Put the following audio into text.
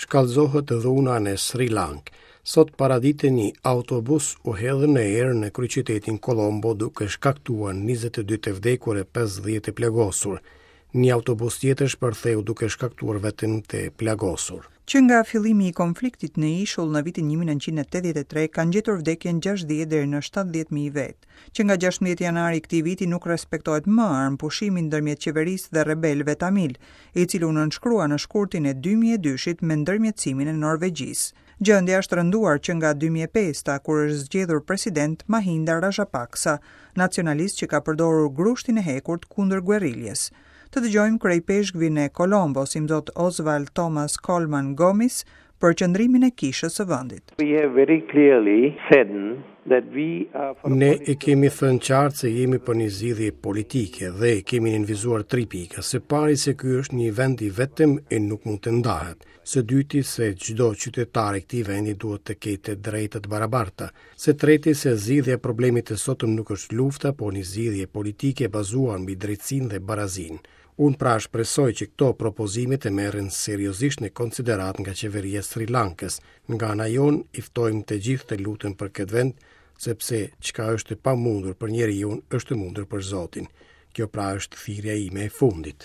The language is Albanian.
Shkallëzohet dhuna në Sri Lankë. Sot paradite një autobus u hedh në erë në kryeqytetin Kolombo duke shkaktuar 22 të vdekur e 50 të plagosur. Një autobus tjetër shpërtheu duke shkaktuar vetëm të plagosur. Që nga fillimi i konfliktit në ishull në vitin 1983 kanë gjetur vdekjen 60 deri në 70.000 vetë. Që nga 16 janari i këtij viti nuk respektohet më armëpushimi ndërmjet qeverisë dhe rebelëve tamil, i cili u nënshkrua në shkurtin e 2002-shit me ndërmjetësimin e Norvegjisë. Gjendja është rënduar që nga 2005-ta, kur është zgjedhur president Mahinda Rajapaksa, nacionalist që ka përdorur grushtin e hekurt kundër guerriljes. Të dëgjojmë kryeipeshkvin e Kolombos, imzot Oswald Thomas Coleman Gomis, për qëndrimin e kishës së vendit. We have very clearly said that we are for Ne e kemi thënë qartë se jemi për një zgjidhje politike dhe kemi nënvizuar tri pika. Së pari se ky është një vend i vetëm e nuk mund të ndahet. Së dyti se çdo qytetar i këtij vendi duhet të ketë të drejta të barabarta. Së treti se zgjidhja e problemit të sotëm nuk është lufta, por një zgjidhje politike bazuar mbi drejtësinë dhe barazinë. Unë pra shpresoj që këto propozime të merren seriozisht në konsideratë nga qeveria e Sri Lankës. Nga ana jonë i ftojmë të gjithë të luten për këtë vend, sepse çka është e pamundur për njeriun është e mundur për Zotin. Kjo pra është thirrja ime e fundit.